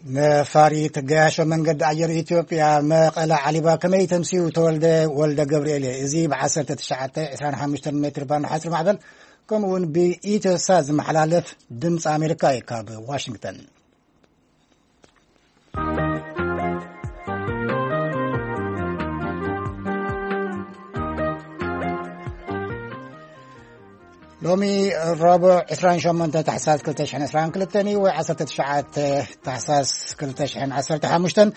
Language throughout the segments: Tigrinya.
ነፋሪት ገያሾ መንገዲ ኣየር ኢትዮጵያ መቐለ ዓሊባ ከመይ ተምስዩ? ተወልደ ወልደ ገብርኤል እየ። እዚ ብ1925 ሜትር ባንድ ሓፂር ማዕበል ከምኡ እውን ብኢትዮሳ ዝመሓላለፍ ድምፂ ኣሜሪካ እዩ። ካብ ዋሽንግተን ሎሚ ረቡዕ 28 ታሕሳስ 2022 እዩ፣ ወይ 19 ታሕሳስ 2015።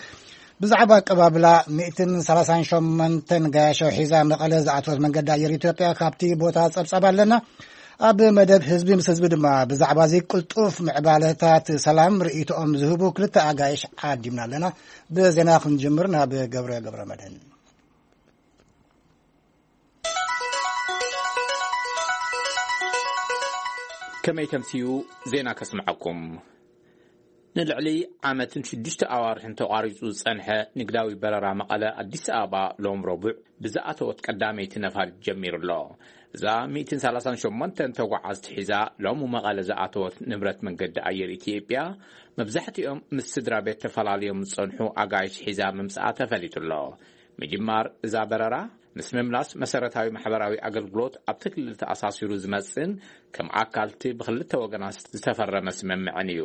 ብዛዕባ ኣቀባብላ 138 ገያሾ ሒዛ መቐለ ዝኣተወት መንገዲ ኣየር ኢትዮጵያ ካብቲ ቦታ ጸብጻብ ኣለና። ኣብ መደብ ህዝቢ ምስ ህዝቢ ድማ ብዛዕባ እዚ ቅልጡፍ ምዕባለታት ሰላም ርእይቶኦም ዝህቡ ክልተ ኣጋይሽ ዓዲምና ኣለና። ብዜና ክንጅምር ናብ ገብረ ገብረ መድህን። ከመይ ተምስዩ? ዜና ከስምዓኩም። ንልዕሊ ዓመትን ሽዱሽተ ኣዋርሕን ተቋሪጹ ዝጸንሐ ንግዳዊ በረራ መቐለ ኣዲስ ኣበባ ሎም ረቡዕ ብዝኣተወት ቀዳመይቲ ነፋሪት ጀሚሩ ኣሎ። እዛ 138 ተጓዓዝቲ ሒዛ ሎም መቐለ ዝኣተወት ንብረት መንገዲ ኣየር ኢትዮጵያ፣ መብዛሕትኦም ምስ ስድራ ቤት ተፈላለዮም ዝጸንሑ ኣጋይሽ ሒዛ ምምጽኣ ተፈሊጡ ኣሎ። ምጅማር እዛ በረራ ምስ ምምላስ መሰረታዊ ማሕበራዊ ኣገልግሎት ኣብቲ ክልል ተኣሳሲሩ ዝመጽእን ከም ኣካልቲ ብክልተ ወገናት ዝተፈረመ ስምምዕን እዩ።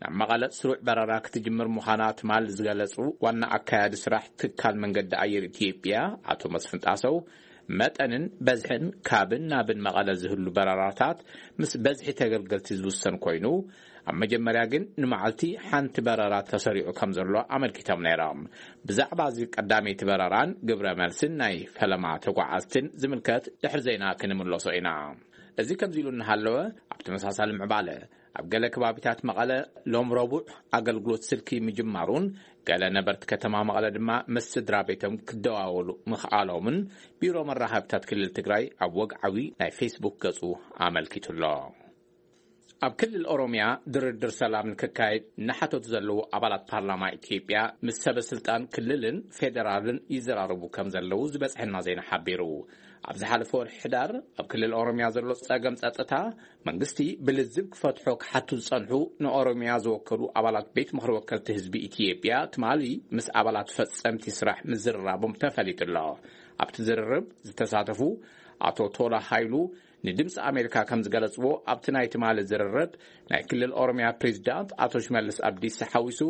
ናብ መቐለ ስሩዕ በረራ ክትጅምር ምዃና ትማል ዝገለጹ ዋና ኣካያዲ ስራሕ ትካል መንገዲ ኣየር ኢትዮጵያ ኣቶ መስፍን ጣሰው፣ መጠንን በዝሕን ካብን ናብን መቐለ ዝህሉ በረራታት ምስ በዝሒ ተገልገልቲ ዝውሰን ኮይኑ፣ ኣብ መጀመርያ ግን ንመዓልቲ ሓንቲ በረራ ተሰሪዑ ከም ዘሎ ኣመልኪቶም ነይሮም። ብዛዕባ እዚ ቀዳመይቲ በረራን ግብረ መልስን ናይ ፈለማ ተጓዓዝትን ዝምልከት ድሕሪ ዜና ክንምለሶ ኢና። እዚ ከምዚ ኢሉ እናሃለወ፣ ኣብ ተመሳሳሊ ምዕባለ ኣብ ገለ ከባቢታት መቐለ ሎም ረቡዕ ኣገልግሎት ስልኪ ምጅማሩን ገለ ነበርቲ ከተማ መቐለ ድማ ምስ ስድራ ቤቶም ክደዋወሉ ምኽኣሎምን ቢሮ መራኸብታት ክልል ትግራይ ኣብ ወግዓዊ ናይ ፌስቡክ ገጹ ኣመልኪቱ ኣሎ። ኣብ ክልል ኦሮሚያ ድርድር ሰላም ንክካየድ እናሓተቱ ዘለዉ ኣባላት ፓርላማ ኢትዮጵያ ምስ ሰበ ስልጣን ክልልን ፌዴራልን ይዘራረቡ ከም ዘለዉ ዝበጽሐና ዜና ሓቢሩ። ኣብ ዝሓለፈ ወርሒ ሕዳር ኣብ ክልል ኦሮሚያ ዘሎ ጸገም ጸጥታ መንግስቲ ብልዝብ ክፈትሖ ክሓቱ ዝጸንሑ ንኦሮሚያ ዝወከሉ ኣባላት ቤት ምኽሪ ወከልቲ ህዝቢ ኢትዮጵያ ትማሊ ምስ ኣባላት ፈጸምቲ ስራሕ ምዝርራቦም ተፈሊጡ ኣሎ። ኣብቲ ዝርርብ ዝተሳተፉ ኣቶ ቶላ ሃይሉ ንድምፂ ኣሜሪካ ከም ዝገለፅዎ፣ ኣብቲ ናይ ትማሊ ዝርርብ ናይ ክልል ኦሮሚያ ፕሬዚዳንት ኣቶ ሽመልስ ኣብዲሳ ሓዊሱ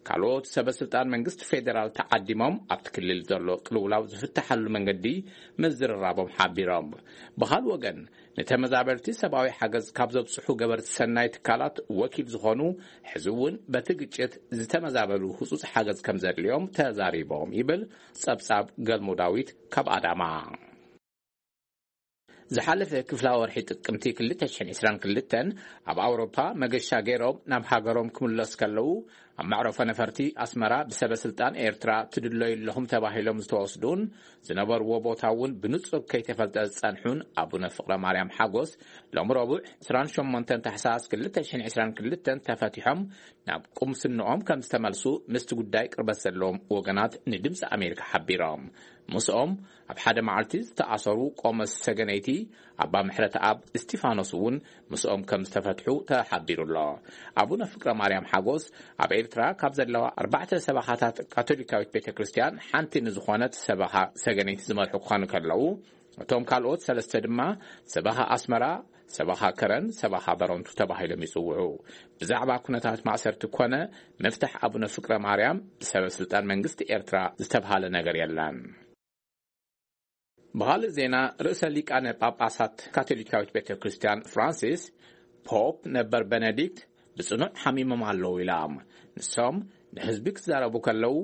ካልኦት ሰበ ስልጣን መንግስቲ ፌዴራል ተዓዲሞም ኣብቲ ክልል ዘሎ ቅልውላው ዝፍተሓሉ መንገዲ ምዝርራቦም ሓቢሮም። ብኻልእ ወገን፣ ንተመዛበልቲ ሰብኣዊ ሓገዝ ካብ ዘብፅሑ ገበርቲ ሰናይ ትካላት ወኪል ዝኾኑ፣ ሕዚ እውን በቲ ግጭት ዝተመዛበሉ ህፁፅ ሓገዝ ከም ዘድልዮም ተዛሪቦም ይብል ፀብፃብ ገልሞ ዳዊት ካብ ኣዳማ። ዝሓለፈ ክፍላ ወርሒ ጥቅምቲ 2022 ኣብ ኣውሮፓ መገሻ ገይሮም ናብ ሃገሮም ክምለስ ከለዉ፣ ኣብ መዕረፎ ነፈርቲ ኣስመራ ብሰበ ስልጣን ኤርትራ ትድለዩ ኣለኹም ተባሂሎም ዝተወስዱን ዝነበርዎ ቦታ እውን ብንጹር ከይተፈልጠ ዝጸንሑን ኣቡነ ፍቅረ ማርያም ሓጎስ፣ ሎም ረቡዕ 28 ታሕሳስ 2022 ተፈቲሖም ናብ ቁምስንኦም ከም ዝተመልሱ ምስቲ ጉዳይ ቅርበት ዘለዎም ወገናት ንድምፂ ኣሜሪካ ሓቢሮም። ምስኦም ኣብ ሓደ መዓልቲ ዝተኣሰሩ ቆሞስ ሰገነይቲ ኣባ ምሕረተኣብ እስቲፋኖስ እውን ምስኦም ከም ዝተፈትሑ ተሓቢሩ ኣሎ። ኣቡነ ፍቅረ ማርያም ሓጎስ ኣብ ኤርትራ ካብ ዘለዋ ኣርባዕተ ሰበኻታት ካቶሊካዊት ቤተ ክርስቲያን ሓንቲ ንዝኾነት ሰበኻ ሰገነይቲ ዝመርሑ ክኾኑ ከለዉ፣ እቶም ካልኦት ሰለስተ ድማ ሰበኻ ኣስመራ፣ ሰበኻ ከረን ሰበኻ በረንቱ ተባሂሎም ይጽውዑ። ብዛዕባ ኩነታት ማእሰርቲ ኮነ ምፍታሕ ኣቡነ ፍቅረ ማርያም ብሰበ ስልጣን መንግስቲ ኤርትራ ዝተብሃለ ነገር የለን። ብኻልእ ዜና፣ ርእሰ ሊቃነ ጳጳሳት ካቶሊካዊት ቤተ ክርስቲያን ፍራንሲስ፣ ፖፕ ነበር ቤኔዲክት ብጽኑዕ ሓሚሞም ኣለዉ ኢሎም። ንሶም ንህዝቢ ክዛረቡ ከለዉ፣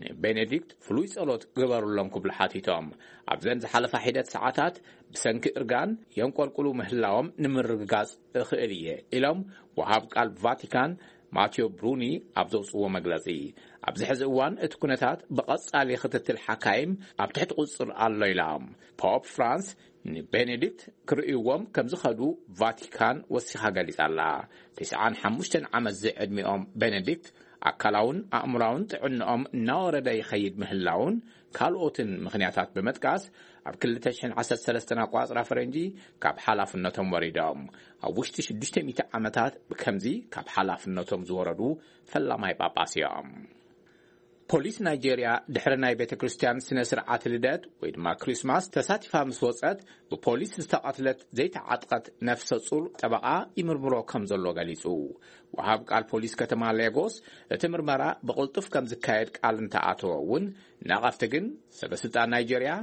ንቤኔዲክት ፍሉይ ጸሎት ግበሩሎም ክብሉ ሓቲቶም። ኣብዘን ዝሓለፋ ሒደት ሰዓታት ብሰንኪ እርጋን የንቆልቁሉ ምህላዎም ንምርግጋጽ እኽእል እየ ኢሎም ወሃብ ቃል ቫቲካን ማቴዮ ብሩኒ ኣብ ዘውፅዎ መግለፂ። ኣብዚ ሕዚ እዋን እቲ ኩነታት ብቐጻሊ ክትትል ሓካይም ኣብ ትሕቲ ቁጽጽር ኣሎ ኢላ። ፖፕ ፍራንስ ንቤኔዲክት ክርእይዎም ከም ዝኸዱ ቫቲካን ወሲኻ ገሊጻ ኣላ። ትስዓን ሓሙሽተን ዓመት ዝዕድሚኦም ቤኔዲክት ኣካላውን ኣእምራውን ጥዕንኦም እናወረደ ይኸይድ ምህላውን ካልኦትን ምኽንያታት ብምጥቃስ ኣብ ክልተ ሽሕን ዓሰርተ ሰለስተን ኣቋጽራ ፈረንጂ ካብ ሓላፍነቶም ወሪዶም። ኣብ ውሽጢ ሽዱሽተ ሚእቲ ዓመታት ብከምዚ ካብ ሓላፍነቶም ዝወረዱ ፈላማይ ጳጳስ እዮም። ፖሊስ ናይጄርያ ድሕሪ ናይ ቤተ ክርስቲያን ስነ ስርዓት ልደት ወይ ድማ ክሪስማስ ተሳቲፋ ምስ ወጸት ብፖሊስ ዝተቐትለት ዘይተዓጥቀት ነፍሰ ጹር ጠበቓ ይምርምሮ ከም ዘሎ ገሊጹ። ወሃብ ቃል ፖሊስ ከተማ ሌጎስ እቲ ምርመራ ብቕልጡፍ ከም ዝካየድ ቃል እንተኣተወ እውን ነቐፍቲ ግን ሰበስልጣን ናይጄርያ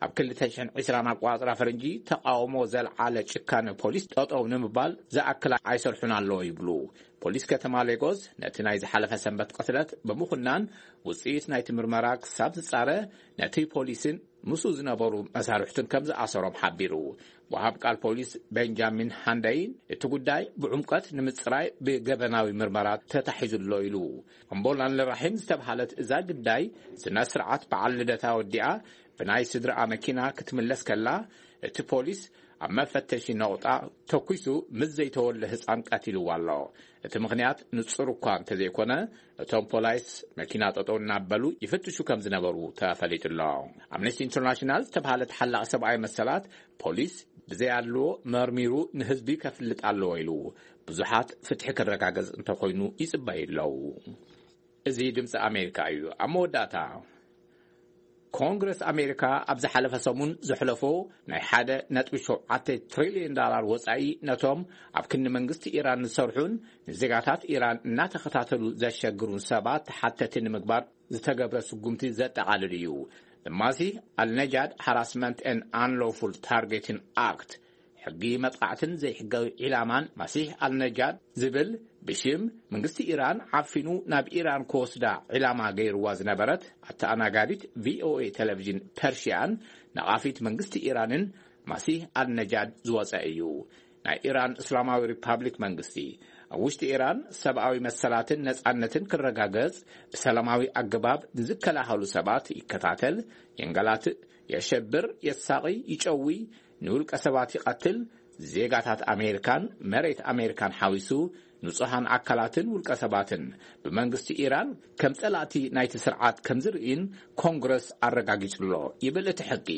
ኣብ ክልተ ሽሕን ዕስራን ኣቋጽራ ፈረንጂ ተቃውሞ ዘልዓለ ጭካነ ፖሊስ ጠጠው ንምባል ዝኣክል ኣይሰርሑን ኣለዎ ይብሉ። ፖሊስ ከተማ ሌጎስ ነቲ ናይ ዝሓለፈ ሰንበት ቅትለት ብምኹናን ውጽኢት ናይቲ ምርመራ ክሳብ ዝጻረ ነቲ ፖሊስን ምስኡ ዝነበሩ መሳርሕቱን ከም ዝኣሰሮም ሓቢሩ። ወሃብ ቃል ፖሊስ ቤንጃሚን ሃንደይን እቲ ጉዳይ ብዕምቀት ንምጽራይ ብገበናዊ ምርመራ ተታሒዙ ኣሎ ኢሉ። ኣምቦላን ለራሒም ዝተብሃለት እዛ ግዳይ ስነ ስርዓት በዓል ልደታ ወዲኣ ብናይ ስድራኣ መኪና ክትምለስ ከላ እቲ ፖሊስ ኣብ መፈተሺ ነቑጣ ተኲሱ ምስ ዘይተወልደ ህጻን ቀቲልዋ ኣሎ። እቲ ምኽንያት ንጹር እኳ እንተዘይኮነ እቶም ፖላይስ መኪና ጠጠው እናበሉ ይፍትሹ ከም ዝነበሩ ተፈሊጡ ኣሎ። ኣምነስቲ ኢንተርናሽናል ዝተብሃለ ተሓላቒ ሰብኣዊ መሰላት ፖሊስ ብዘይ ኣድልዎ መርሚሩ ንህዝቢ ከፍልጥ ኣለዎ ኢሉ። ብዙሓት ፍትሒ ክረጋገጽ እንተኾይኑ ይጽበዩ ኣለዉ። እዚ ድምፂ ኣሜሪካ እዩ። ኣብ መወዳእታ ኮንግረስ ኣሜሪካ ኣብ ዝሓለፈ ሰሙን ዘሕለፎ ናይ ሓደ ነጥቢ ሸውዓተ ትሪልዮን ዳላር ወፃኢ ነቶም ኣብ ክንዲ መንግስቲ ኢራን ዝሰርሑን ንዜጋታት ኢራን እናተኸታተሉ ዘሸግሩን ሰባት ተሓተቲ ንምግባር ዝተገብረ ስጉምቲ ዘጠቓልል እዩ። ማሲህ ኣልነጃድ ሃራስመንት ን ኣንሎፉል ታርጌትን ኣክት ሕጊ መጥቃዕትን ዘይሕጋዊ ዒላማን ማሲህ ኣልነጃድ ዝብል ብሽም መንግስቲ ኢራን ዓፊኑ ናብ ኢራን ክወስዳ ዒላማ ገይርዋ ዝነበረት ኣተኣናጋዲት ቪኦኤ ቴሌቪዥን ፐርሽያን ነቓፊት መንግስቲ ኢራንን ማሲህ ኣልነጃድ ዝወፀ እዩ። ናይ ኢራን እስላማዊ ሪፓብሊክ መንግስቲ ኣብ ውሽጢ ኢራን ሰብኣዊ መሰላትን ነፃነትን ክረጋገጽ ብሰላማዊ ኣገባብ ንዝከላኸሉ ሰባት ይከታተል፣ የንገላትእ፣ የሸብር፣ የሳቒ፣ ይጨዊ፣ ንውልቀ ሰባት ይቐትል፣ ዜጋታት ኣሜሪካን መሬት ኣሜሪካን ሓዊሱ ንጹሃን ኣካላትን ውልቀ ሰባትን ብመንግስቲ ኢራን ከም ጸላእቲ ናይቲ ስርዓት ከም ዝርእይን ኮንግረስ ኣረጋጊጹ ኣሎ ይብል እቲ ሕጊ።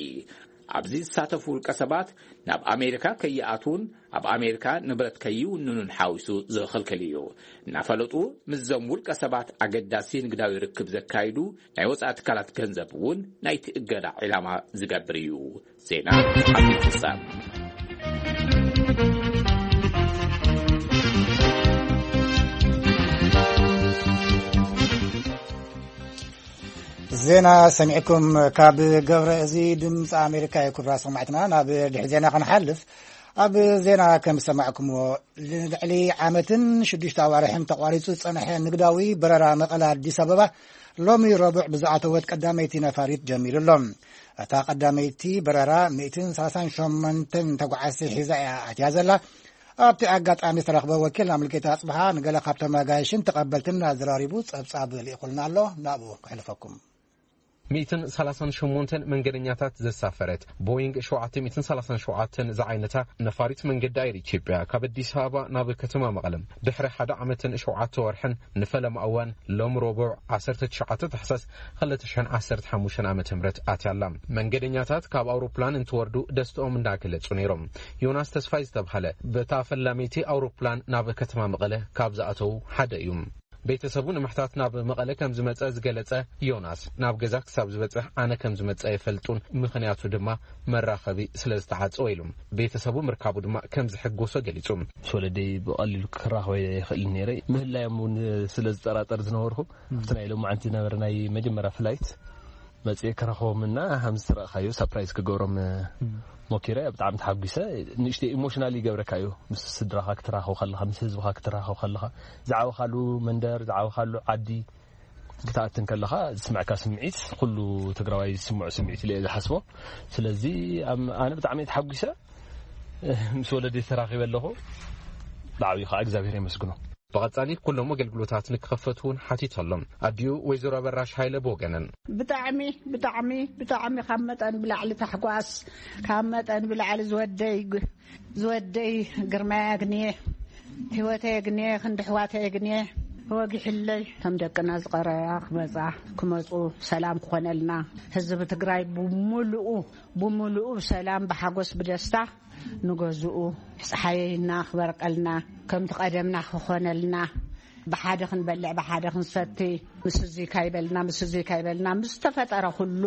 ኣብዚ ዝሳተፉ ውልቀ ሰባት ናብ ኣሜሪካ ከይኣትዉን ኣብ ኣሜሪካ ንብረት ከይውንኑን ሓዊሱ ዝኽልክል እዩ። እናፈለጡ ምስዞም ውልቀ ሰባት ኣገዳሲ ንግዳዊ ርክብ ዘካይዱ ናይ ወጻኢ ትካላት ገንዘብ እውን ናይቲ እገዳ ዒላማ ዝገብር እዩ። ዜና ኣብ ይፍጸም። ዜና ሰሚዕኩም ካብ ገብረ እዚ ድምፂ ኣሜሪካ እዩ። ክቡራት ሰማዕትና ናብ ድሕሪ ዜና ክንሓልፍ ኣብ ዜና ከም ዝሰማዕኩምዎ ልዕሊ ዓመትን ሽዱሽተ ኣዋርሕን ተቋሪፁ ዝፀንሐ ንግዳዊ በረራ መቐለ ኣዲስ ኣበባ ሎሚ ረቡዕ ብዝኣተወት ቀዳመይቲ ነፋሪት ጀሚሩ ኣሎ። እታ ቀዳመይቲ በረራ ሚእትን ሰላሳን ሸሞንተን ተጓዓዝቲ ሒዛ እያ ኣትያ ዘላ። ኣብቲ ኣጋጣሚ ዝተረኽበ ወኪል ኣምልኬታ ኣፅብሃ ንገለ ካብቶም ኣጋይሽን ተቐበልትን ኣዘራሪቡ ፀብፃብ ልኢኹልና ኣሎ። ናብኡ ክሕልፈኩም። ሚእትን ሰላሳን ሸሞንተን መንገደኛታት ዘሳፈረት ቦይንግ ሸውዓተ ሚእትን ሰላሳን ሸውዓተን ዝዓይነታ ነፋሪት መንገዲ ኣየር ኢትዮጵያ ካብ ኣዲስ ኣበባ ናብ ከተማ መቐለም ድሕሪ ሓደ ዓመትን ሸውዓተ ወርሕን ንፈለማ እዋን ሎም ረቡዕ ዓሰርተ ትሽዓተ ታሕሳስ ክልተ ሽሕን ዓሰርተ ሓሙሽተን ዓመተ ምህረት ኣትያ ኣላ። መንገደኛታት ካብ ኣውሮፕላን እንትወርዱ ደስትኦም እንዳገለጹ ነይሮም። ዮናስ ተስፋይ ዝተብሃለ በታ ፈላመይቲ ኣውሮፕላን ናብ ከተማ መቐለ ካብ ዝኣተዉ ሓደ እዩ። ቤተሰቡ ንምሕታት ናብ መቐለ ከም ዝመጸ ዝገለጸ ዮናስ፣ ናብ ገዛ ክሳብ ዝበጽሕ ኣነ ከም ዝመጸ ኣይፈልጡን፣ ምኽንያቱ ድማ መራኸቢ ስለ ዝተዓጸወ ኢሉ። ቤተሰቡ ምርካቡ ድማ ከም ዝሕጎሶ ገሊጹ። ምስ ወለደይ ብቐሊሉ ክራኸበ ኣይኽእልን ነይረ። ምህላዮም እውን ስለ ዝጠራጠር ዝነበርኩ፣ ኣብቲ ናይ ሎማዓንቲ ዝነበረ ናይ መጀመርያ ፍላይት መጽኤ ክረኽቦምና፣ ከምዚ ዝረእኻዮ ሳፕራይዝ ክገብሮም ሞኪረ። ብጣዕሚ ተሓጒሰ። ንእሽተይ ኢሞሽናል ይገብረካ እዩ፣ ምስ ስድራኻ ክትራኸብ ከለኻ፣ ምስ ህዝብኻ ክትራኸብ ከለኻ፣ ዝዓበኻሉ መንደር፣ ዝዓበኻሉ ዓዲ ክትኣትን ከለኻ ዝስምዐካ ስምዒት፣ ኩሉ ትግራዋይ ዝስምዖ ስምዒት ኢለ እየ ዝሓስቦ። ስለዚ ኣም-፣ ኣነ ብጣዕሚ እየ ተሓጒሰ። ምስ ወለዲ ተራኺበ ኣለኹ። ብዓብዩ ከዓ እግዚኣብሔር የመስግኖ። ብቐጻሊ ኩሎም ኣገልግሎታት ንክኸፈቱ እውን ሓቲተሎም። ኣዲኡ ወይዘሮ ኣበራሽ ሃይለ ብወገነን፣ ብጣዕሚ ብጣዕሚ ብጣዕሚ ካብ መጠን ብላዕሊ ታሕጓስ፣ ካብ መጠን ብላዕሊ ዝወደይ ግ- ዝወደይ ግርማይ ኣግንየ፣ ህይወተይ ኣግንየ፣ ክንዲ ኣሕዋተይ ኣግንየ፣ ወጊሕለይ። ከም ደቅና ዝቐረያ ክመጻ ክመጹ፣ ሰላም ክኾነልና፣ ህዝቢ ትግራይ ብምሉኡ ብምሉኡ ብሰላም ብሓጎስ ብደስታ ንገዝኡ፣ ፀሓይና ክበርቀልና፣ ከምቲ ቀደምና ክኾነልና፣ ብሓደ ክንበልዕ ብሓደ ክንሰቲ፣ ምስ እዙይ ካይበልና ምስ እዙይ ካይበልና ምስ ተፈጠረ ኩሉ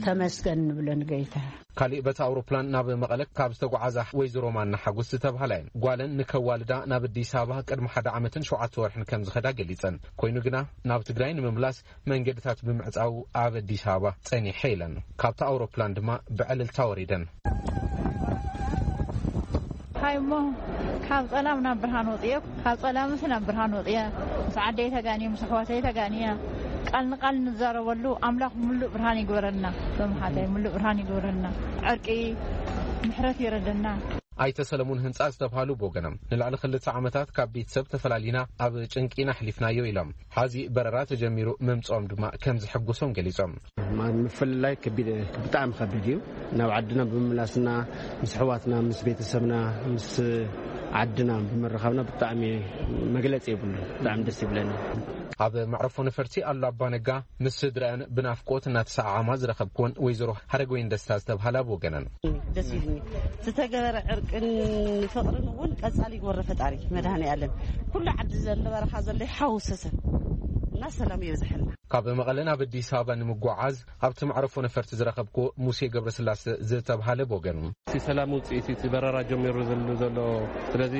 ተመስገን ንብሎ ንገይታ። ካሊእ በቲ ኣውሮፕላን ናብ መቐለ ካብ ዝተጓዓዛ ወይዘሮ ማና ሓጎስ ዝተባሃላ እየን። ጓለን ንከዋልዳ ናብ ኣዲስ ኣበባ ቅድሚ ሓደ ዓመትን ሸውዓተ ወርሕን ከም ዝኸዳ ገሊጸን። ኮይኑ ግና ናብ ትግራይ ንምምላስ መንገድታት ብምዕጻው ኣብ ኣዲስ ኣበባ ጸኒሐ ኢለን። ካብታ ኣውሮፕላን ድማ ብዕልልታ ወሪደን። ሃይ እሞ፣ ካብ ጸላም ናብ ብርሃን ወጽየ፣ ካብ ጸላምስ ናብ ብርሃን ወጽየ። ምስ ዓደይ ተጋንየ፣ ምስ ኣሕዋተይ ተጋንየ፣ ቃል ንቃል ንዛረበሉ ኣምላኽ ምሉእ ብርሃን ይግበረልና። ቶም ሓተይ ምሉእ ብርሃን ይግበረልና። ዕርቂ ምሕረት ይረደና። ኣይተ ሰለሙን ህንጻ ዝተባሃሉ ብወገኖም፣ ንልዕሊ ክልተ ዓመታት ካብ ቤተሰብ ተፈላሊና ኣብ ጭንቂ ኢና ኣሕሊፍናዮ ኢሎም። ሓዚ በረራ ተጀሚሩ ምምጽኦም ድማ ከም ዝሕጉሶም ገሊጾም። ምፍልላይ ከቢድ፣ ብጣዕሚ ከቢድ እዩ። ናብ ዓድና ብምምላስና፣ ምስ ኣሕዋትና፣ ምስ ቤተሰብና፣ ምስ ዓድና ብምርኻብና ብጣዕሚ መግለጺ የብሉ። ብጣዕሚ ደስ ይብለኒ። ኣብ መዕረፎ ነፈርቲ ኣሉላ ኣባነጋ ምስ ስድራኣን ብናፍቆት እናተሰዓዓማ ዝረኸብኩወን ወይዘሮ ሓረገወይን ደስታ ዝተብሃላ ብወገነን፣ ደስ ኢሉኒ። ዝተገበረ ዕርቅን ፍቕርን እውን ቀጻሊ ይግበሮ ፈጣሪ መድሃኔ ኣለም። ኩሉ ዓዲ ዘሎ በረኻ ዘሎ ይሓውሰሰን እና ሰላም ይብዝሐልና። ካብ መቐለ ናብ ኣዲስ ኣበባ ንምጓዓዝ ኣብቲ መዕረፎ ነፈርቲ ዝረኸብኩ ሙሴ ገብረስላሴ ዝተብሃለ ብወገኑ፣ እቲ ሰላም ውፅኢት እቲ በረራ ጀሚሩ ዘሎ ዘሎ፣ ስለዚ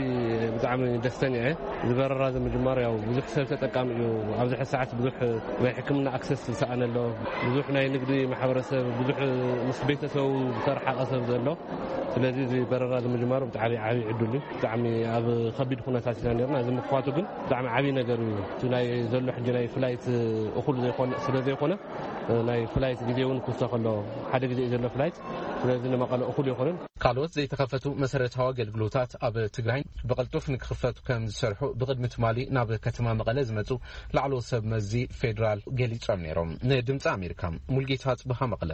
ብጣዕሚ ደስተኛ እየ። እዚ በረራ እዚ ምጅማር ያው ብዙሕ ሰብ ተጠቃሚ እዩ። ኣብዚ ሕዚ ሰዓት ብዙሕ ናይ ሕክምና ኣክሰስ ዝሰኣነ ኣሎ፣ ብዙሕ ናይ ንግዲ ማሕበረሰብ፣ ብዙሕ ምስ ቤተሰቡ ዝተረሓቐ ሰብ ዘሎ። ስለዚ እዚ በረራ እዚ ምጅማሩ ብጣዕሚ ዓብዪ ዕድል እዩ። ብጣዕሚ ኣብ ከቢድ ኩነታት ኢና ነርና። እዚ ምክፋቱ ግን ብጣዕሚ ዓብዪ ነገር እዩ። እቲ ናይ ዘሎ ሕጂ ናይ ፍላይት እኹል ዘይኮነ፣ ስለ ዘይኮነ ናይ ፍላይት ግዜ እውን ክውሰኽ ኣሎ። ሓደ ግዜ እዩ ዘሎ ፍላይት። ስለዚ ንመቐለ እኹል ይኾንን። ካልኦት ዘይተኸፈቱ መሰረታዊ ኣገልግሎታት ኣብ ትግራይ ብቕልጡፍ ንክኽፈቱ ከም ዝሰርሑ ብቕድሚ ትማሊ ናብ ከተማ መቐለ ዝመፁ ላዕለዎት ሰብ መዚ ፌዴራል ገሊጾም ነይሮም። ንድምፂ ኣሜሪካ ሙልጌታ ጽብሃ መቐለ።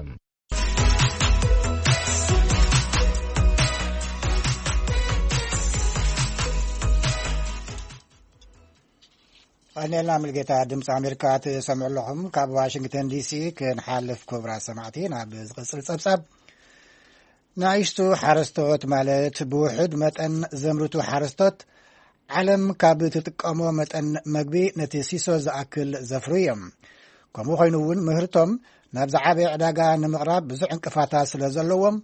ኣኔልና ምልጌታ ድምፂ ኣሜሪካ ትሰምዑ ኣለኹም። ካብ ዋሽንግተን ዲሲ ክንሓልፍ፣ ክቡራት ሰማዕቲ፣ ናብ ዝቕፅል ፀብፃብ። ንኣሽቱ ሓረስቶት ማለት ብውሑድ መጠን ዘምርቱ ሓረስቶት ዓለም ካብ ትጥቀሞ መጠን መግቢ ነቲ ሲሶ ዝኣክል ዘፍርዩ እዮም። ከምኡ ኮይኑ እውን ምህርቶም ናብ ዝዓበየ ዕዳጋ ንምቕራብ ብዙሕ ዕንቅፋታት ስለ ዘለዎም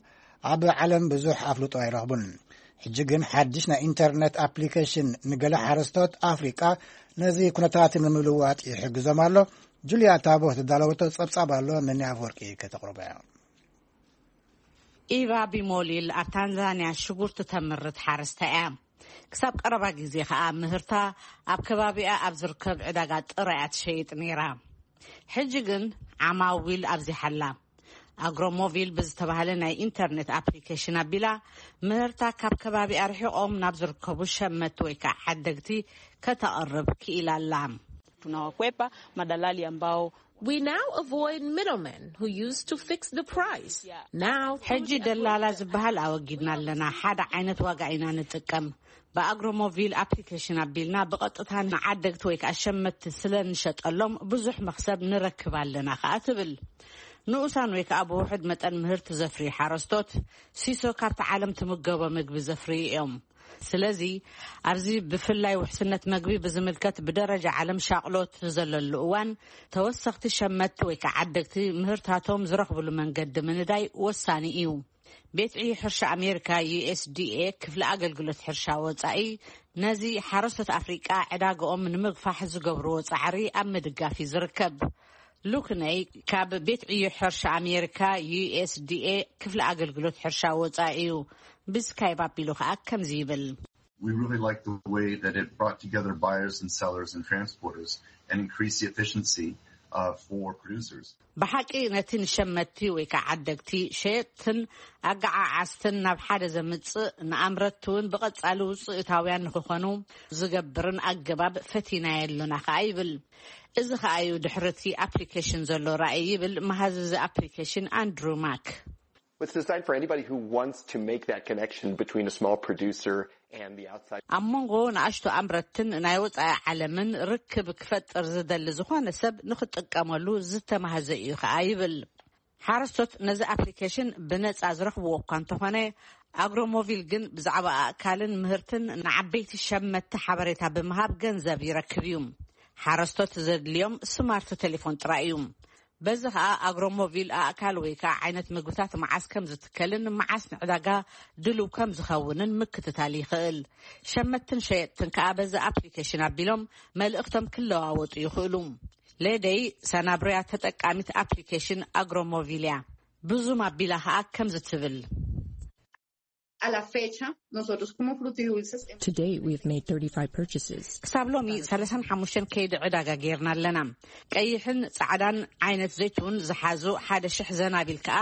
ኣብ ዓለም ብዙሕ ኣፍልጦ ኣይረኽቡን። ሕጂ ግን ሓድሽ ናይ ኢንተርነት ኣፕሊኬሽን ንገለ ሓረስቶት ኣፍሪቃ ነዚ ኩነታት ንምልዋጥ ይሕግዞም ኣሎ። ጁልያ ታቦ ዝተዳለወቶ ጸብጻብ ኣሎ፣ መኒ ኣፍወርቂ ከተቕርቦ እያ። ኢቫ ቢሞሊል ኣብ ታንዛንያ ሽጉርቲ ተምርት ሓረስታይ እያ። ክሳብ ቀረባ ግዜ ከኣ ምህርታ ኣብ ከባቢኣ ኣብ ዝርከብ ዕዳጋ ጥራይ እያ ትሸይጥ ነይራ። ሕጂ ግን ዓማዊል ኣብዚሓ ኣላ። ኣግሮሞቪል ብዝተባህለ ናይ ኢንተርኔት ኣፕሊኬሽን ኣቢላ ምህርታ ካብ ከባቢኣ ርሒቖም ናብ ዝርከቡ ሸመት ወይ ከዓ ዓደግቲ ከተቕርብ ክኢላ ኣላ። Tunawakwepa madalali ambao We now avoid middlemen who used to fix the price. Now, ሕጂ ደላላ ዝበሃል ኣወጊድና ኣለና። ሓደ ዓይነት ዋጋ ኢና ንጥቀም። ብኣግሮሞቪል ኣፕሊኬሽን ኣቢልና ብቐጥታ ንዓደግቲ ወይ ከዓ ሸመትቲ ስለ ንሸጠሎም ብዙሕ መኽሰብ ንረክብ ኣለና ከዓ ትብል። ንኡሳን ወይ ከዓ ብውሑድ መጠን ምህርቲ ዘፍርዩ ሓረስቶት ሲሶ ካብቲ ዓለም ትምገቦ ምግቢ ዘፍርዩ እዮም። ስለዚ ኣብዚ ብፍላይ ውሕስነት መግቢ ብዝምልከት ብደረጃ ዓለም ሻቕሎት ዘለሉ እዋን ተወሰኽቲ ሸመትቲ ወይ ከዓ ዓደግቲ ምህርታቶም ዝረኽብሉ መንገዲ ምንዳይ ወሳኒ እዩ። ቤት ዕዩ ሕርሻ ኣሜሪካ ዩ ኤስ ዲ ኤ ክፍሊ ኣገልግሎት ሕርሻ ወጻኢ ነዚ ሓረስቶት ኣፍሪቃ ዕዳግኦም ንምግፋሕ ዝገብርዎ ጻዕሪ ኣብ ምድጋፍ እዩ ዝርከብ። ሉክነይ ካብ ቤት ዕዮ ሕርሻ ኣሜሪካ ዩ ኤስ ዲ ኤ ክፍሊ ኣገልግሎት ሕርሻ ወጻኢ እዩ። ብስካይፕ ኣቢሉ ከኣ ከምዚ ይብል። We really like the way that it brought together buyers and sellers and transporters and increased the efficiency uh, for producers. ብሓቂ ነቲ ንሸመትቲ ወይ ከዓ ዓደግቲ ሸየጥትን ኣገዓዓዝትን ናብ ሓደ ዘምጽእ፣ ንኣምረትቲ እውን ብቐጻሊ ውፅኢታውያን ንክኾኑ ዝገብርን ኣገባብ ፈቲናዮ ኣለና ከዓ ይብል። እዚ ከዓ እዩ ድሕሪ እቲ ኣፕሊኬሽን ዘሎ ራእይ ይብል መሃዚ እዚ ኣፕሊኬሽን ኣንድሩ ማክ። It's designed for anybody who wants to make that connection between a small producer and the outside. ኣብ መንጎ ንኣሽቱ ኣምረትን ናይ ወፃኢ ዓለምን ርክብ ክፈጥር ዝደሊ ዝኾነ ሰብ ንክጥቀመሉ ዝተማህዘ እዩ ከዓ ይብል። ሓረስቶት ነዚ ኣፕሊኬሽን ብነፃ ዝረኽብዎ እኳ እንተኾነ፣ ኣግሮሞቪል ግን ብዛዕባ ኣእካልን ምህርትን ንዓበይቲ ሸመትቲ ሓበሬታ ብምሃብ ገንዘብ ይረክብ እዩ። ሓረስቶት ዘድልዮም ስማርት ቴሌፎን ጥራይ እዩ። በዚ ኸኣ ኣግሮሞቪል ኣእካል ወይ ከኣ ዓይነት ምግብታት መዓስ ከም ዝትከልን መዓስ ንዕዳጋ ድሉው ከም ዝኸውንን ምክትታል ይኽእል። ሸመትትን ሸየጥትን ከኣ በዚ ኣፕሊኬሽን ኣቢሎም መልእኽቶም ክለዋወጡ ይኽእሉ። ሌደይ ሰናብርያ ተጠቃሚት ኣፕሊኬሽን ኣግሮሞቪል እያ። ብዙም ኣቢላ ኸኣ ከምዚ ትብል። A la fecha, nosotros como fruticultores hemos Today, we've made thirty-five purchases. ክሳብ ሎሚ ሰላሳን ሓሙሽተን ከይዲ ዕዳጋ ጌርና ኣለና። ቀይሕን ጻዕዳን ዓይነት ዘይትውን ዝሓዙ ሓደ ሽሕ ዘናቢል ከኣ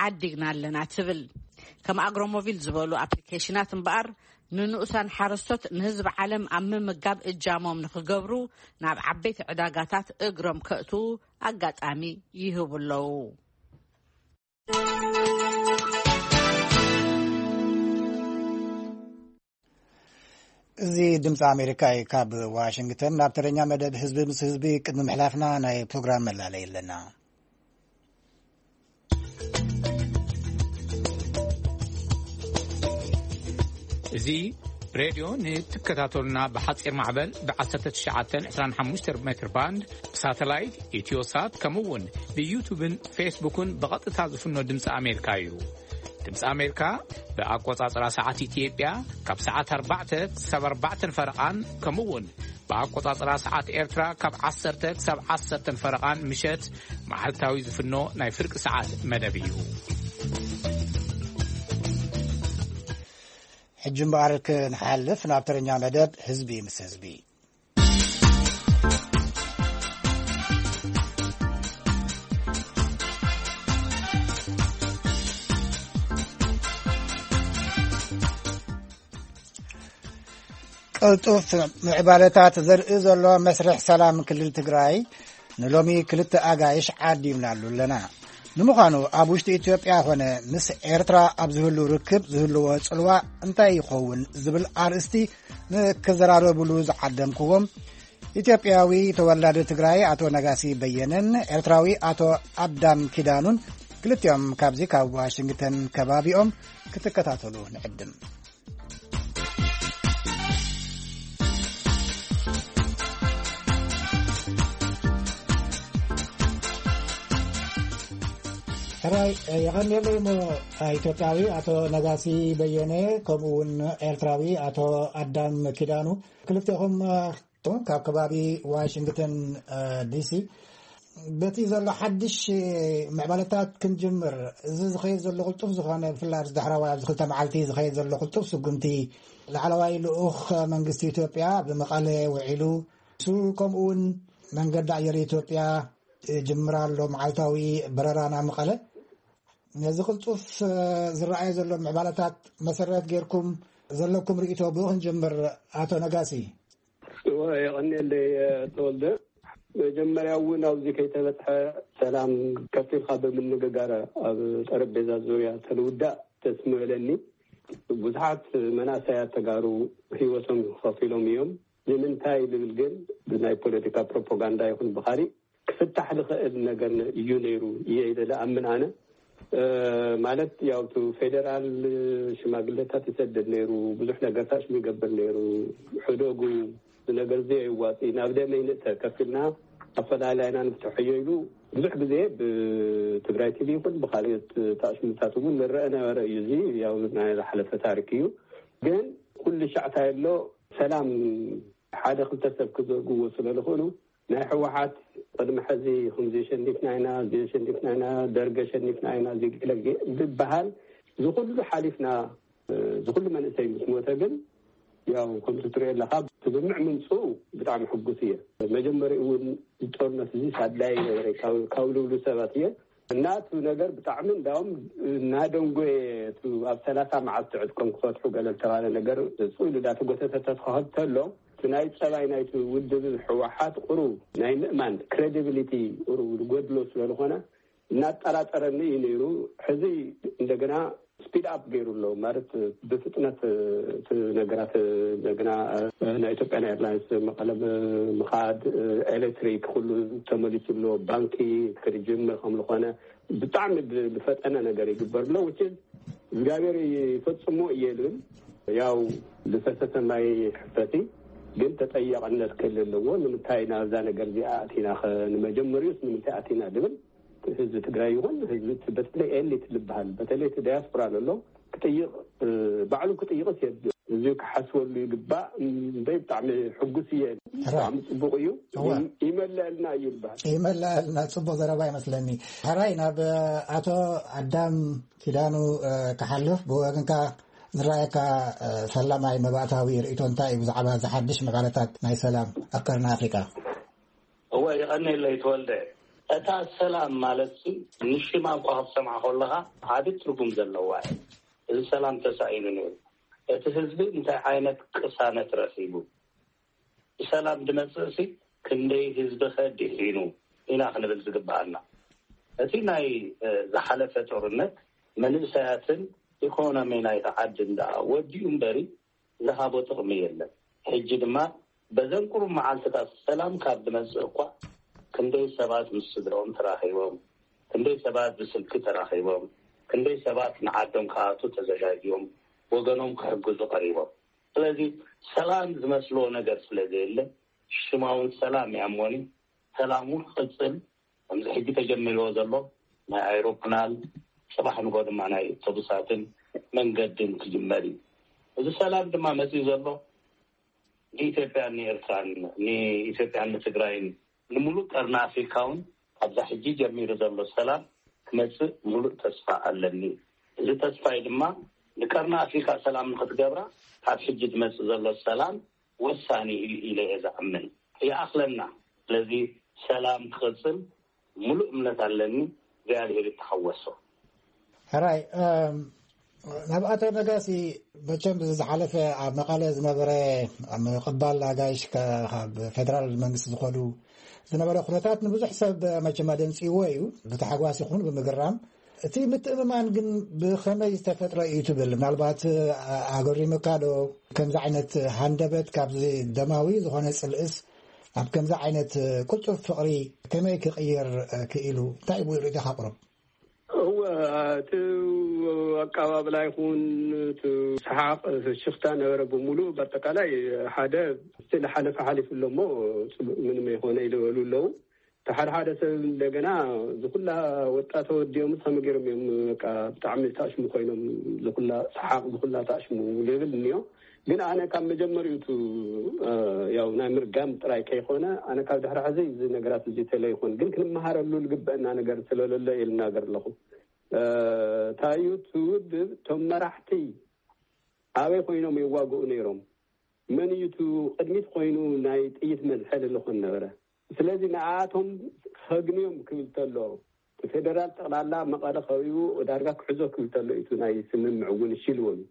ዓዲግና ኣለና ትብል። ከም ኣግሮሞቪል ዝበሉ ኣፕሊኬሽናት እምበኣር፣ ንንኡሳን ሓረስቶት ንህዝቢ ዓለም ኣብ ምምጋብ እጃሞም ንኽገብሩ ናብ ዓበይቲ ዕዳጋታት እግሮም ከእትዉ ኣጋጣሚ ይህቡ ኣለዉ። እዚ ድምፂ ኣሜሪካ እዩ። ካብ ዋሽንግተን ናብ ተረኛ መደብ ህዝቢ ምስ ህዝቢ ቅድሚ ምሕላፍና ናይ ፕሮግራም መላለይ ኣለና። እዚ ሬድዮ ንትከታተሉና ብሓፂር ማዕበል ብ1925 ሜትር ባንድ ብሳተላይት ኢትዮሳት ከምኡ እውን ብዩቱብን ፌስቡክን ብቐጥታ ዝፍኖ ድምፂ ኣሜሪካ እዩ። ድምፂ ኣሜሪካ ብኣቆፃፅራ ሰዓት ኢትዮጵያ ካብ ሰዓት ኣርባዕተ ክሳብ ኣርባዕተን ፈረቓን ከምኡ እውን ብኣቆፃፅራ ሰዓት ኤርትራ ካብ ዓሰርተ ክሳብ ዓሰርተን ፈረቓን ምሸት መዓልታዊ ዝፍኖ ናይ ፍርቂ ሰዓት መደብ እዩ። ሕጂ እምበኣር ክንሓልፍ ናብ ተረኛ መደብ ህዝቢ ምስ ህዝቢ። ቅልጡፍ ምዕባለታት ዘርኢ ዘሎ መስርሕ ሰላም ክልል ትግራይ ንሎሚ ክልተ ኣጋይሽ ዓዲምናሉ ኣለና። ንምዃኑ ኣብ ውሽጢ ኢትዮጵያ ኾነ ምስ ኤርትራ ኣብ ዝህሉ ርክብ ዝህልዎ ጽልዋ እንታይ ይኸውን ዝብል ኣርእስቲ ንክዘራረብሉ ዝዓደምክዎም ኢትዮጵያዊ ተወላዲ ትግራይ ኣቶ ነጋሲ በየነን ኤርትራዊ ኣቶ ኣዳም ኪዳኑን ክልቲኦም ካብዚ ካብ ዋሽንግተን ከባቢኦም ክትከታተሉ ንዕድም። ሕራይ የቐንየለይ እሞ ኢትዮጵያዊ ኣቶ ነጋሲ በየነ ከምኡ እውን ኤርትራዊ ኣቶ ኣዳም ኪዳኑ ክልቴኹም ካብ ከባቢ ዋሽንግተን ዲሲ በቲ ዘሎ ሓድሽ ምዕባለታት ክንጅምር። እዚ ዝኸይድ ዘሎ ቅልጡፍ ዝኾነ ብፍላይ ኣብዚ ዳሕራዋይ ኣብዚ ክልተ መዓልቲ ዝኸይድ ዘሎ ቅልጡፍ ስጉምቲ ላዕለዋይ ልኡኽ መንግስቲ ኢትዮጵያ ብመቐለ ውዒሉ እሱ ከምኡ እውን መንገዲ ኣየር ኢትዮጵያ ይጅምር ኣሎ መዓልታዊ በረራ ናብ መቐለ። ነዚ ቅልጡፍ ዝረኣየ ዘሎ ምዕባለታት መሰረት ጌርኩም ዘለኩም ርእይቶ ብኡ ክንጅምር ኣቶ ነጋሲ። እወ፣ የቐንየለይ ተወልደ። መጀመርያ እውን ኣብዚ ከይተበፅሐ ሰላም ከፊልካ ብምንግጋር ኣብ ጠረጴዛ ዙርያ ተልውዳእ ደስ ምበለኒ። ብዙሓት መናእሰያት ተጋሩ ህይወቶም ከፊሎም እዮም። ንምንታይ ልብል ግን ብናይ ፖለቲካ ፕሮፓጋንዳ ይኹን ብኻሊእ ክፍታሕ ዝኽእል ነገር እዩ ነይሩ እየ ኢለ ዝኣምን ኣነ። ማለት ያው እቲ ፌደራል ሽማግሌታት ይሰደድ ነይሩ፣ ብዙሕ ነገር ታሽሙ ይገብር ነይሩ። ሕደጉ፣ እዚ ነገር እዚ የዋፂ ናብ ደመይ ንእተ ከፊልና ኣፈላላይና ንፍትሐዮ ኢሉ ብዙሕ ግዜ ብትግራይ ቲቪ ይኹን ብካልኦት ታሽሙታት እውን ንረአ ነበረ እዩ። እዚ ያው ናይ ዝሓለፈ ታሪክ እዩ። ግን ኩሉ ሻዕታ የሎ ሰላም ሓደ ክልተ ሰብ ክዘርግዎ ስለዝኽእሉ ናይ ህወሓት ቅድሚ ሕዚ ከምዚ ሸኒፍና ኢና፣ እዚ ሸኒፍና ኢና፣ ደርገ ሸኒፍና ኢና፣ እዚ ገለ ዝበሃል ዝኩሉ ሓሊፍና ዝኩሉ መንእሰይ ምስ ሞተ ግን ያው ከምቲ ትሪኦ ኣለኻ፣ ስምምዕ ምምፅኡ ብጣዕሚ ሕጉስ እየ። መጀመሪኡ እውን ጦርነት እዚ ኣድላይ ነበረ ካብ ልብሉ ሰባት እየ። እናቱ ነገር ብጣዕሚ እንዳውም እናደንጎየ፣ እቲ ኣብ ሰላሳ መዓልቲ ዕጥቆም ክፈትሑ ገለ ዝተባለ ነገር ስቕ ኢሉ እንዳተጎተተ ተትኸኸብ ተሎ፣ እቲ ናይ ፀባይ ናይቲ ውድብ ህወሓት ቁሩብ ናይ ምእማን ክሬዲቢሊቲ ቁሩብ ጎድሎ ስለዝኾነ እናጠራጠረኒ እዩ ነይሩ። ሕዚ እንደገና ስፒድ ኣፕ ገይሩ ኣሎ ማለት ብፍጥነት እቲ ነገራት እንደገና ናይ ኢትዮጵያን ኤርላይንስ መቐለ ምኻድ፣ ኤሌክትሪክ ኩሉ ተመሊሱ ኣሎ፣ ባንኪ ክጅምር ከም ዝኾነ ብጣዕሚ ብፈጠነ ነገር ይግበር ኣሎ። ውጭ እግዚኣብሔር ይፈጽሞ እየ ልብል። ያው ዝፈሰሰ ማይ ሕፈሲ ግን ተጠያቕነት ክህል ኣለዎ። ንምንታይ ናብዛ ነገር እዚኣ ኣቲና ንመጀመሪዩስ ንምንታይ ኣቲና ልብል ህዝቢ ትግራይ ይኹን ህዝቢ በተለይ ኤሊት ዝበሃል በተለይ እቲ ዳያስፖራ ዘሎ ክጥይቕ ባዕሉ ክጥይቕስ የድልዮ። እዚ ክሓስበሉ ይግባእ። እምበይ ብጣዕሚ ሕጉስ እየ። ብጣዕሚ ፅቡቅ እዩ። ይመለአልና እዩ ዝበሃል። ይመለአልና። ፅቡቅ ዘረባ ይመስለኒ። ሕራይ ናብ ኣቶ ኣዳም ኪዳኑ ክሓልፍ፣ ብወገንካ ዝረኣየካ ፈላማይ መባእታዊ ርእይቶ እንታይ እዩ ብዛዕባ ዝሓድሽ ምዕባለታት ናይ ሰላም ኣብ ቀርኒ ኣፍሪካ? እወ፣ የቐንየለይ ተወልደ። እታ ሰላም ማለት ንሽማ እኳ ክትሰምዓ ከለኻ ዓቢ ትርጉም ዘለዋ እያ። እዚ ሰላም ተሳኢኑ ነይሩ። እቲ ህዝቢ እንታይ ዓይነት ቅሳነት ረኺቡ? ብሰላም ድመጽእሲ ክንደይ ህዝቢ ከ ድሒኑ ኢና ክንብል ዝግብኣና። እቲ ናይ ዝሓለፈ ጦርነት መንእሰያትን ኢኮኖሚ ናይቲ ዓድን ደኣ ወዲኡ እምበሪ ዝሃቦ ጥቕሚ የለን። ሕጂ ድማ በዘን ቁሩብ መዓልትታት ሰላም ካብ ዝመጽእ እኳ ክንደይ ሰባት ምስ ስድርኦም ተራኺቦም፣ ክንደይ ሰባት ብስልኪ ተራኺቦም፣ ክንደይ ሰባት ንዓዶም ክኣቱ ተዘጋጅዮም ወገኖም ክሕግዙ ቀሪቦም። ስለዚ ሰላም ዝመስሎ ነገር ስለ ዘየለ ሽማውን ሰላም እያ እሞኒ ሰላም እውን ክቕጽል ከምዚ ሕጂ ተጀሚርዎ ዘሎ ናይ ኣይሮፕላን ጽባሕ ንጎ ድማ ናይ ኣውቶቡሳትን መንገድን ክጅመር እዩ። እዚ ሰላም ድማ መፅዩ ዘሎ ንኢትዮጵያን ንኤርትራን ንኢትዮጵያን ንትግራይን ንምሉእ ቀርኒ ኣፍሪካ እውን ካብዛ ሕጂ ጀሚሩ ዘሎ ሰላም ክመፅእ ምሉእ ተስፋ ኣለኒ። እዚ ተስፋይ ድማ ንቀርኒ ኣፍሪካ ሰላም ንክትገብራ ካብ ሕጂ ዝመፅእ ዘሎ ሰላም ወሳኒ እዩ ኢለ እየ ዝኣምን። ይኣኽለና። ስለዚ ሰላም ክቕፅል ሙሉእ እምነት ኣለኒ። እግዚኣብሔር ይተሓወሶ። ሕራይ ናብ ኣቶ ነጋሲ፣ መቸም ዝሓለፈ ኣብ መቐለ ዝነበረ ምቕባል ኣጋይሽ ካብ ፌደራል መንግስቲ ዝኸዱ ዝነበረ ኩነታት ንብዙሕ ሰብ መቸም ኣደንፅዎ እዩ፣ ብታሕጓስ ይኹን ብምግራም። እቲ ምትእምማን ግን ብኸመይ ዝተፈጥረ እዩ ትብል? ምናልባት ኣገሪምካ ዶ? ከምዚ ዓይነት ሃንደበት ካብዚ ደማዊ ዝኾነ ጽልእስ ናብ ከምዚ ዓይነት ቅልጡፍ ፍቕሪ ከመይ ክቕየር ክኢሉ? እንታይ እዩ ርእይቶኻ? ቁሩብ። እወ፣ እቲ ኣቀባብላ ይኹን እቲ ሰሓቕ ፍሽኽታ ነበረ። ብምሉእ በኣጠቃላይ ሓደ ስለ ሓለፈ ሓሊፉ ኣሎ እሞ ጽቡቕ ምንም ኣይኮነ ይበሉ ኣለዉ። እቲ ሓደ ሓደ ሰብ እንደገና ዝኩላ ወጣት ወዲኦም ከመይ ገይሮም እዮም በቃ ብጣዕሚ ታሽሙ ኮይኖም ዝኩላ ሰሓቕ ዝኩላ ታሽሙ ዝብል እኒኦ። ግን ኣነ ካብ መጀመሪኡ እቲ ያው ናይ ምርጋም ጥራይ ከይኮነ ኣነ ካብ ድሕሪ ሕዚ እዚ ነገራት እዚ ተለይኮን ግን ክንመሃረሉ ዝግበአና ነገር ስለለሎ እየ ልናገር ኣለኹ። እንታይ እዩ እቲ ውድብ እቶም መራሕቲ ኣበይ ኮይኖም የዋግኡ ነይሮም? መን እዩ እቲ ቅድሚት ኮይኑ ናይ ጥይት መዝሐሊ ዝኾን ነበረ? ስለዚ ንኣቶም ከግንዮም ክብል ተሎ እቲ ፌደራል ጠቕላላ መቐለ ከቢቡ ዳርጋ ክሕዞ ክብል ተሎ እዩ ናይ ስምምዕ እውን እሺ ኢልዎም እዩ።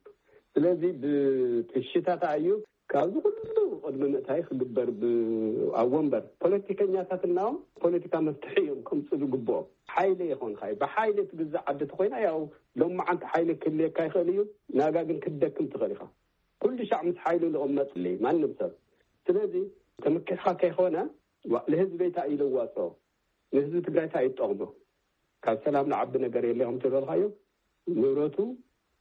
ስለዚ ብትሽታት እዩ ካብዚ ኩሉ ቅድሚ ምእታይ ክግበር ኣብ ወንበር ፖለቲከኛታት እናዎም ፖለቲካ መፍትሒ እዮም ከምፁ ዝግብኦም። ሓይሊ ይኾንካ እዩ። ብሓይሊ ትግዛእ ዓዲ ተኮይና ያው ሎማዓንቲ ሓይሊ ክህልየካ ይኽእል እዩ፣ ናጋ ግን ክትደክም ትኽእል ኢኻ። ኩሉ ሻዕ ምስ ሓይሉ ዝቕመጥለይ ማንም ሰብ። ስለዚ ተመኪሕካ ከይኮነ ንህዝበይ እንታይ እዩ ለዋፅኦ? ንህዝቢ ትግራይ እንታይ እዩ ጠቕሞ? ካብ ሰላም ንዓቢ ነገር የለ ከም ትበልካዮ ንብረቱ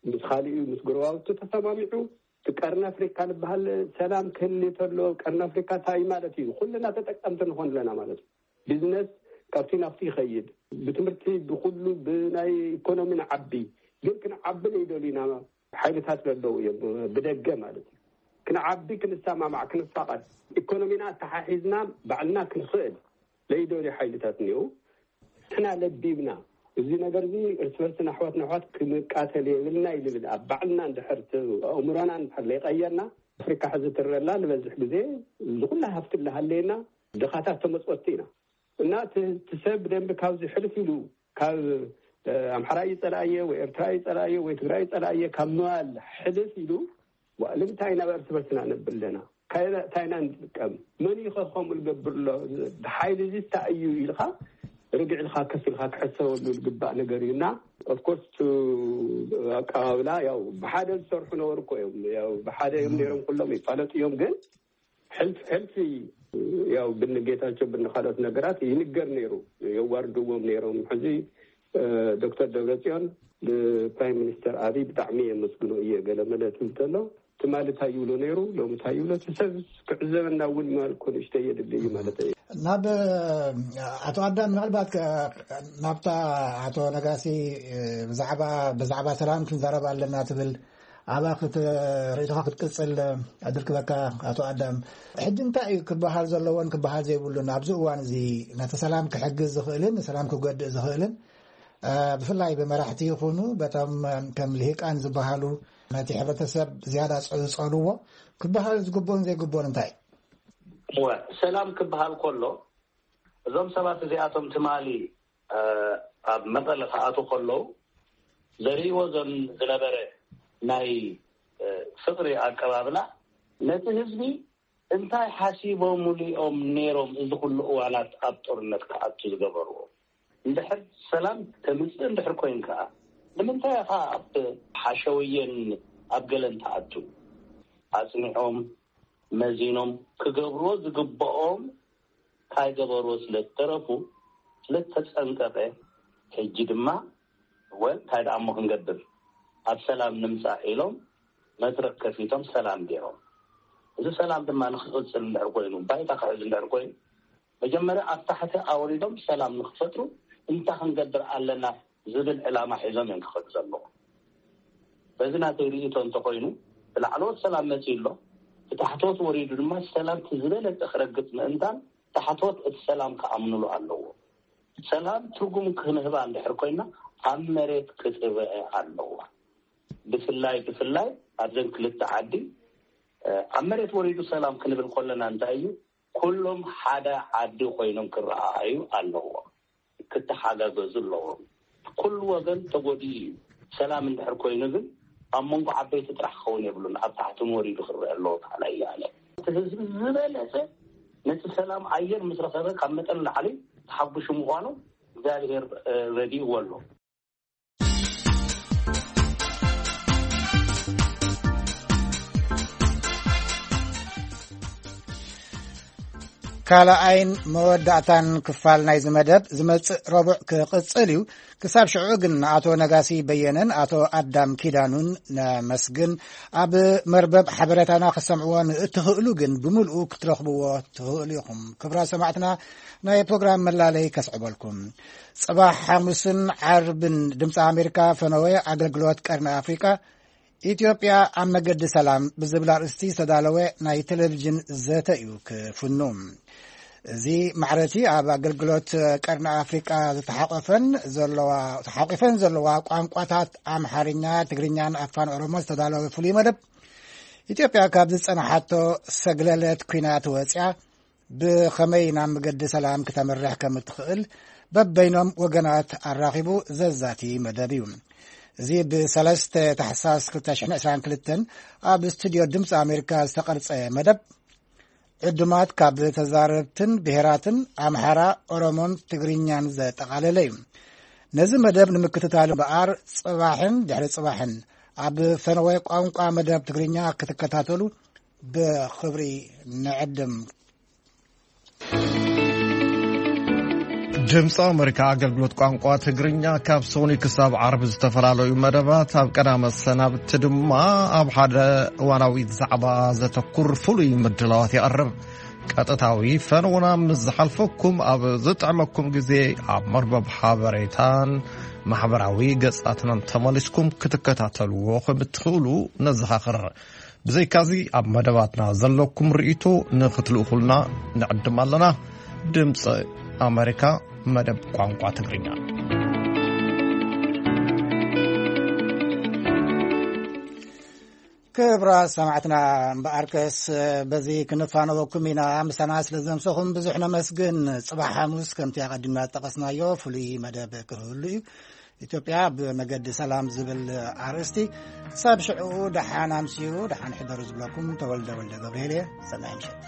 ምስ ካሊኡ ምስ ጎረባብቱ ተሰማሚዑ እቲ ቀርኒ ኣፍሪካ ዝበሃል ሰላም ክህሊ ተሎ ቀርኒ ኣፍሪካ እንታይ ማለት እዩ? ኩልና ተጠቀምቲ ንኾን ኣለና ማለት እዩ። ቢዝነስ ካብቲ ናብቲ ይኸይድ፣ ብትምህርቲ ብኩሉ ብናይ ኢኮኖሚ ንዓቢ። ግን ክንዓቢ ንይደሉ ኢና ሓይልታት ዘለዉ እዮም ብደገ ማለት እዩ። ክንዓቢ ክንሰማማዕ ክንፋቐር ኢኮኖሚና ኣተሓሒዝና ባዕልና ክንኽእል ለይደልዩ ሓይልታት እኒአው። ንሕና ለቢብና እዚ ነገር እዚ እርስ በርስና ኣሕዋት ንኣሕዋት ክንቃተል የብልና ይልብል ኣብ ባዕልና እንድሕር ኣእምሮና እንድሕር ለይቀየርና ኣፍሪካ ሕዚ ትረላ ዝበዝሕ ግዜ ዝኩላ ሃፍቲ እናሃለየና ድኻታት ተመፅወቲ ኢና። እና እቲ ሰብ ብደንብ ካብዚ ሕልፍ ኢሉ ካብ ኣምሓራ ይፀላእየ ወይ ኤርትራ ይፀላእየ ወይ ትግራይ ይፀላእየ ካብ ምባል ሕልፍ ኢሉ፣ ልምንታይ ኢና እርስ በርስና ነብል ኣለና? ታይና ንጥቀም? መን እዩ ከምኡ ዝገብር ኣሎ? ብሓይሊ እዚ እንታይ እዩ ኢልካ ርግዕ ኢልካ ከፍ ኢልካ ክሕሰበሉ ዝግባእ ነገር እዩ። እና ኦፍኮርስ ኣቀባብላ ያው ብሓደ ዝሰርሑ ነበሩ እኮ እዮም። ያው ብሓደ እዮም ነይሮም፣ ኩሎም ይፋለጡ እዮም። ግን ሕልፊ ሕልፊ ያው ብንጌታቸው ብንካልኦት ነገራት ይንገር ነይሩ፣ የዋርድዎም ነይሮም። ሕዚ ዶክተር ደብረፅዮን ንፕራይም ሚኒስተር ኣብይ ብጣዕሚ የመስግኖ እየ ገለ መለ ትብል ተሎ ትማሊ እንታይ ይብሎ ነይሩ፣ ሎሚ እንታይ ይብሎ፣ እቲ ሰብ ክዕዘበና እውን ማልኮ ንእሽተይ የድሊ እዩ ማለት እዩ። ናብ ኣቶ ኣዳም ምናልባት ናብታ ኣቶ ነጋሲ ብዛዕባ ብዛዕባ ሰላም ክንዛረብ ኣለና ትብል ኣባ ክትርእቶኻ ክትቅፅል እድል ክበካ። ኣቶ ኣዳም ሕጂ እንታይ እዩ ክበሃል ዘለዎን ክበሃል ዘይብሉን ኣብዚ እዋን እዚ ነቲ ሰላም ክሕግዝ ዝኽእልን ንሰላም ክጎድእ ዝኽእልን ብፍላይ ብመራሕቲ ይኹኑ በቶም ከም ልሂቃን ዝበሃሉ ነቲ ሕብረተሰብ ዝያዳ ዝፀልዎ ክበሃል ዝግቦን ዘይግቦን እንታይ? እወ፣ ሰላም ክበሃል ከሎ እዞም ሰባት እዚኣቶም ትማሊ ኣብ መቐለ ክኣትዉ ከለዉ ዘርእይዎ ዝነበረ ናይ ፍቕሪ ኣቀባብላ ነቲ ህዝቢ እንታይ ሓሲቦምሉ እዮም ነይሮም እዚ ኩሉ እዋናት ኣብ ጦርነት ክኣቱ ዝገበርዎ? እንድሕር ሰላም ተምፅእ እንድሕር ኮይኑ ከዓ ንምንታይ ኢኻ ኣብ ሓሸውየን ኣብ ገለን ትኣቱ? ኣፅኒዖም መዚኖም ክገብርዎ ዝግበኦም ካይገበርዎ ስለዝተረፉ ስለዝተፀንቀቐ ሕጂ ድማ እወ እንታይ ደኣ እሞ ክንገብር ኣብ ሰላም ንምፃእ ኢሎም መድረክ ከፊቶም ሰላም ገይሮም። እዚ ሰላም ድማ ንክቕፅል እንድሕር ኮይኑ ባይታ ክሕዝ እንድሕር ኮይኑ መጀመርያ ኣብ ታሕቲ ኣውሪዶም ሰላም ንክፈጥሩ እንታይ ክንገብር ኣለና ዝብል ዕላማ ሒዞም እዮም ክኸዱ ዘለዎም። በዚ ናተይ ርእይቶ እንተኾይኑ ብላዕለዎት ሰላም መፂኡ ኣሎ፣ ብታሕተዎት ወሪዱ ድማ ሰላም እቲ ዝበለፀ ክረግፅ ምእንታን ታሕተዎት እቲ ሰላም ክኣምኑሉ ኣለዎ። ሰላም ትርጉም ክንህባ እንድሕር ኮይና ኣብ መሬት ክጥበአ ኣለዋ። ብፍላይ ብፍላይ ኣብዘን ክልተ ዓዲ ኣብ መሬት ወሪዱ ሰላም ክንብል ከለና እንታይ እዩ? ኩሎም ሓደ ዓዲ ኮይኖም ክረኣኣዩ ኣለዎም፣ ክተሓጋገዙ ኣለዎም። ኩሉ ወገን ተጎዲኡ እዩ። ሰላም እንድሕር ኮይኑ ግን ኣብ መንጎ ዓበይቲ ጥራሕ ክኸውን የብሉን፣ ኣብ ታሕቲ ወሪዱ ክረአ ኣለዎ። ካልኣይ ያለ እቲ ህዝቢ ዝበለፀ ነቲ ሰላም ኣየር ምስ ረኸበ ካብ መጠን ላዕሊ ተሓጉሹ ምዃኑ እግዚኣብሔር ረዲእዎ ኣሎ። ካልኣይን መወዳእታን ክፋል ናይዚ መደብ ዝመጽእ ረቡዕ ክቕጽል እዩ። ክሳብ ሽዑ ግን ንኣቶ ነጋሲ በየነን ኣቶ ኣዳም ኪዳኑን ነመስግን። ኣብ መርበብ ሓበሬታና ክሰምዕዎ ንእትኽእሉ ግን ብምልኡ ክትረኽብዎ ትኽእሉ ኢኹም። ክብራት ሰማዕትና ናይ ፕሮግራም መላለይ ከስዕበልኩም። ጽባሕ ሓሙስን ዓርብን ድምፂ ኣሜሪካ ፈነወ ኣገልግሎት ቀርኒ ኣፍሪቃ ኢትዮጵያ ኣብ መገዲ ሰላም ብዝብል ኣርእስቲ ዝተዳለወ ናይ ቴሌቪዥን ዘተ እዩ ክፍኑ። እዚ ማዕረቲ ኣብ ኣገልግሎት ቀርኒ ኣፍሪቃ ዝተሓቆፈን ዘለዋ ተሓቂፈን ዘለዋ ቋንቋታት ኣምሓርኛ፣ ትግርኛን ኣፋን ኦሮሞ ዝተዳለወ ፍሉይ መደብ ኢትዮጵያ ካብ ዝጸናሓቶ ሰግለለት ኲናት ወጽያ ብኸመይ ናብ መገዲ ሰላም ክተምርሕ ከም እትኽእል በበይኖም ወገናት ኣራኺቡ ዘዛቲ መደብ እዩ። እዚ ብ3 ታሕሳስ ክልተ ሽሕን ዕስራን ክልተን ኣብ ስቱድዮ ድምፂ ኣሜሪካ ዝተቐርፀ መደብ ዕዱማት ካብ ተዛረብትን ብሄራትን ኣምሓራ፣ ኦሮሞን ትግርኛን ዘጠቓለለ እዩ። ነዚ መደብ ንምክትታል እምበኣር ፅባሕን ድሕሪ ፅባሕን ኣብ ፈነወ ቋንቋ መደብ ትግርኛ ክትከታተሉ ብኽብሪ ንዕድም። ድምፂ ኣሜሪካ ኣገልግሎት ቋንቋ ትግርኛ ካብ ሰኒ ክሳብ ዓርቢ ዝተፈላለዩ መደባት ኣብ ቀዳመ ሰናብቲ ድማ ኣብ ሓደ እዋናዊ ዛዕባ ዘተኩር ፍሉይ ምድላዋት የቕርብ። ቀጥታዊ ፈነውና ምስ ዝሓልፈኩም ኣብ ዝጥዕመኩም ግዜ ኣብ መርበብ ሓበሬታን ማሕበራዊ ገጻትናን ተመሊስኩም ክትከታተልዎ ከም እትኽእሉ ነዘኻኽር። ብዘይካዚ ኣብ መደባትና ዘለኩም ርእይቶ ንኽትልእኹልና ንዕድም ኣለና። ድምፂ ኣሜሪካ መደብ ቋንቋ ትግርኛ። ክብራ ሰማዕትና፣ እምበኣርከስ በዚ ክንፋነወኩም ኢና። ምሳና ስለ ዘምሰኹም ብዙሕ ነመስግን። ጽባሕ ሓሙስ ከምቲ ኣቐዲምና ዝጠቐስናዮ ፍሉይ መደብ ክህሉ እዩ። ኢትዮጵያ ብመገዲ ሰላም ዝብል ኣርእስቲ። ክሳብ ሽዑ ደሓን ኣምስዩ፣ ደሓን ሕደሩ ዝብለኩም ተወልደ ወልደ ገብርኤል እየ። ሰናይ ምሸት።